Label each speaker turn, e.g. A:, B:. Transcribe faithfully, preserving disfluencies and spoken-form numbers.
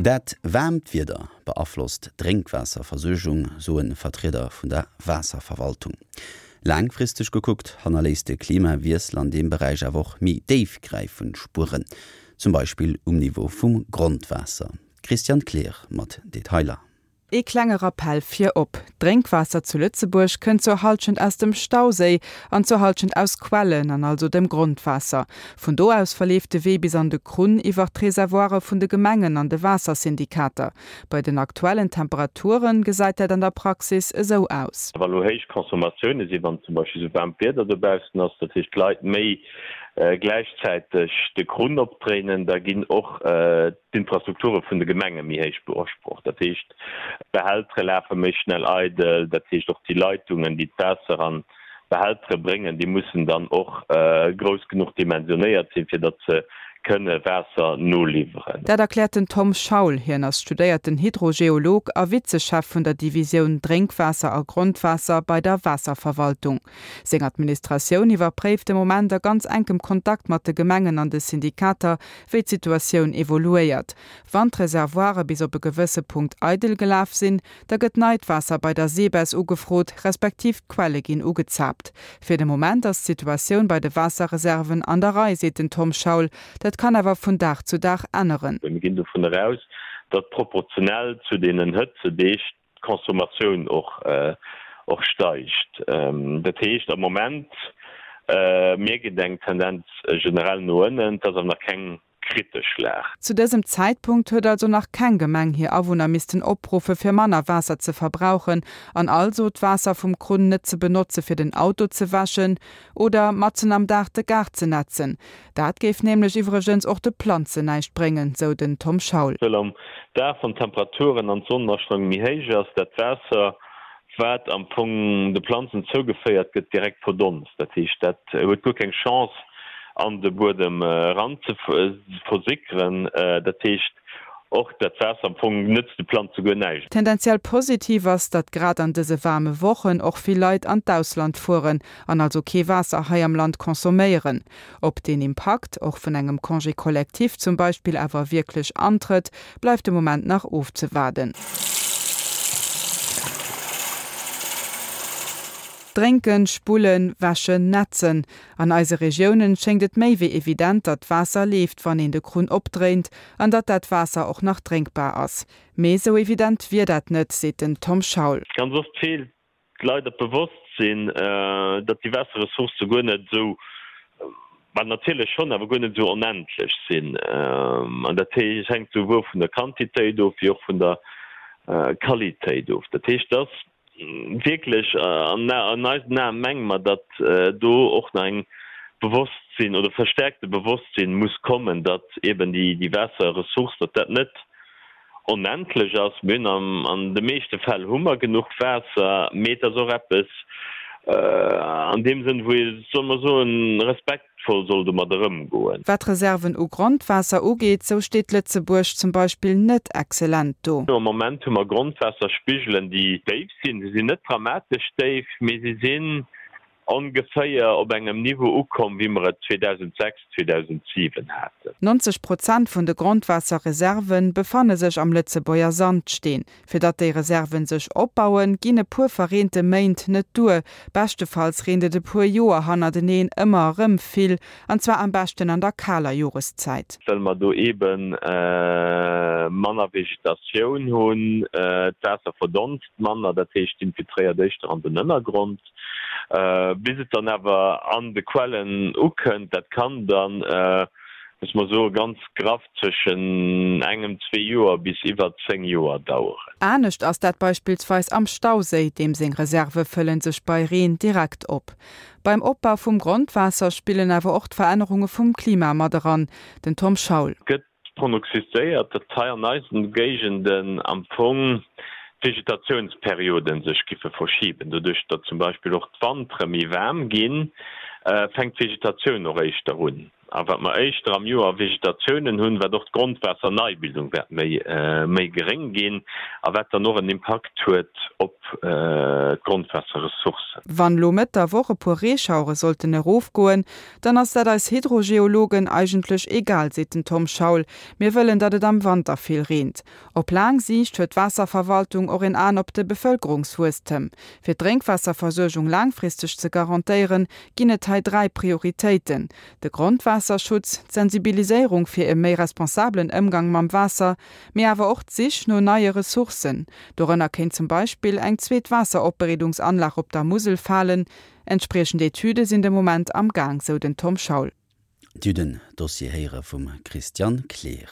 A: Dat waarmt Wieder beaflosst d'Drénkwaasserversuergung, soe Vertrieder vun der Waasserverwaltung. Laangfristeg gekuckt hannerléisst de Klimawiessel an deem Beräich awer och méi déifgräifend Spueren, zum Beispill um Niveau vum Grondwaasser. D'Christiane Kleer mat Detailer.
B: Ee klenge Rappell virop, D'Drénkwaasser zu Lëtzebuerg kënnt zur Hallschent aus dem Stauséi an zur Hallschent aus Quellen, an also dem Grondwaasser. Vun do aus verleeft de Wee bis an de Krunn iwwer d'Reservoire vun de Gemengen an de Waassersyndikater. Bei den aktuellen Temperature gesäit dat an der Praxis esou aus.
C: Wa lo héich Consommatioune sinn, wann zum Beispill esou waarmt Wieder dobaussen ass, dat heescht d'Leit méi gläichzäiteg de Krunn opdréinen, da ginn och d'Infrastrukture vun de Gemenge méi héich beusprocht. Dat heescht, d'Behältere lafe méi schnell eidel, dat heescht och déi Leitungen, déi d'Waasser an d'Behältere bréngen, déi mussen dann och grouss genuch dimensionéiert sinn, fir datt se kënne Waasser noliwweren.
B: Dat erkläert den Tom Schaul. Hien ass studéierten Hydrogeolog a Vizechef vun der Divisioun Drénkwaasser a Grondwaasser bei der Waasserverwaltung. Seng Administratioun iwwerpréift de Moment a ganz enkem Kontakt mat de Gemengen an de Syndikater, wéi d'Situatioun evoluéiert. Wann d'Reservoire bis op e gewësse Punkt eidel gelaf sinn, da gëtt neit Waasser bei der SEBES ugefrot, respektiv d'Quelle ginn ugezaapt. Fir de Moment ass d'Situatioun bei de Waasserreserven an der Rei, seet den Tom Schaul. Dat kann awer vun Dag zu Dag änneren.
C: Mir ginn dovun eraus, datt proportionell zu deenen Hëtzedeeg d'Consommatioun och och steigt. Dat heescht, am Moment mierkt een eng Tendenz generell no ënnen, et ass awer nach keng kritesch Lag.
B: Zu dësem Zäitpunkt huet also nach keng Gemeng hir Awunner missten opruffe fir manner Waasser ze verbrauchen an also d'Waasser vum Krunn net ze benotze fir den Auto ze wäschen oder matzen am Dag de Gaart ze nätzen. Dat géif nämlech iwwregens och de Planzen näischt bréngen, sou den Tom Schaul.
C: Well am Dag, wann d'Temperaturen an d'Sonnenastrahlung méi héich ass, dat Waasser, wat am Fong de Planzen zougeféiert gëtt, direkt verdonst. Dat heescht, dat huet guer keng Chance, an de Buedem eran ze versickeren. Dat heescht, och dat Waasser am Fong nëtzt de Planze guer näischt.
B: Tendenziell positiv ass, datt grad an dëse waarme Wochen och vill Leit an d'Ausland fueren an also kee Waasser hei am Land consomméieren. Ob deen Impakt, och vun engem Congé collectif zum Beispill, awer wierklech antrëtt, bleift de Moment nach ofzewaarden. Drénken, spullen, wäschen, nätzen. An eise Regiounen schéngt et méi wéi evident, datt d'Waasser leeft, wann een de Krunn opdréint, an datt dat Waasser och nach drénkbar ass. Mee esou evident wier dat net, seet den Tom Schaul.
C: Ganz oft feelt leider d'Bewosstsinn, datt déi Waasserressourcë guer net esou, bah natierlech schonn, awer guer net esou onendlech sinn. An dat hänkt souwuel vun der Quantitéit of wéi och vun der Qualitéit of. Dat heescht, dass wierklech an eisen Aen menge mer, datt do och nach eng Bewosstsinn oder verstärkte Bewosstsinn muss kommen, datt eben déi Waasserressource, datt dat net onendlech ass. Mir hunn an de meeschte Fäll hu mer genuch Waasser, mee et ass och eppes an deem Sënn, wou ee, solle mer soen, respektvoll soll domadder ëmgoen.
B: Wat d'Reserven u Grondwaasser ugeet, sou steet Lëtzebuerg zum Beispill net excellent do.
C: Am Moment hu mer Grondwaasserspigelen, déi déif sinn. Se sinn net dramatesch déif, mee se sinn ongeféier op engem Niveau ukomm, wéi mer et zweedausendsechs, zweedausentsiwen haten.
B: Nonzeg Prozent vun de Grondwaasserreserve befanne sech am Lëtzebuerger Sandsteen. Fir datt déi Reserven sech opbauen, ginn e puer verreente Méint net duer. Beschtefalls reent et e puer Joer hannerteneen ëmmer erëm vill, an zwar am beschten an der kaler Joreszäit.
C: Well mer do eebe manner Vegetatioun hunn, d'Waasser verdonst manner, dat heescht infiltréiert éischter an den Ënnergrond. Bis et dann awer an de Quellen ukënnt, dat kann dann, muss mer soen, ganz graff zwëschen engem, zwee Joer bis iwwer zéng Joer daueren.
B: Anescht ass dat beispillsweis am Stauséi, deem seng Reserve fëllen sech bei Reen direkt op. Beim Opbau vum Grondwaasser spillen awer och d'Verännerunge vum Klima mat eran. Den Tom Schaul.
C: Gëtt pronoxizéiert, datt hei an eisen Géigenden am Fong d'Vegetatiounsperioden sech giffe verschiben. Doduerch datt zum Beispill och d'Wantere méi waarm ginn, fänkt d'Vegetatioun och éischter un. A wat mer éischter am Joer Vegetatiounen hunn, wat och d'Grondwaasserneibildung wäert méi méi geréng ginn a wat dann och en Impakt huet op d'Grondwaasserressourcen.
B: Wann lo Mëtt der Woch e puer Reeschauere sollten erofgoen, dann ass dat eis Hydrogeologen eigentlech egal, seet den Tom Schaul. Mir wëllen, datt et am Wanter vill reent. Op laang Siicht huet d'Waasserverwaltung och en An op de Bevëlkerungswuesstem. Fir d'Drénkwaasserversuergung laangfristeg ze garantéieren, ginn et hei dräi Prioritéiten, de Grondwaasserschutz, d'Sensibiliséierung fir e méi responsabelen Ëmgang mam Waasser, mee awer och d'Sich no neie Ressourcen. Dorënner kéint zum Beispill eng zweet Waasseropbereedungsanlag op der Musel falen. Entspriechend Etüde sinn de Moment am Gaang, sou den Tom Schaul.
A: Dir hutt den Dossier héiere vum Christian Kleer.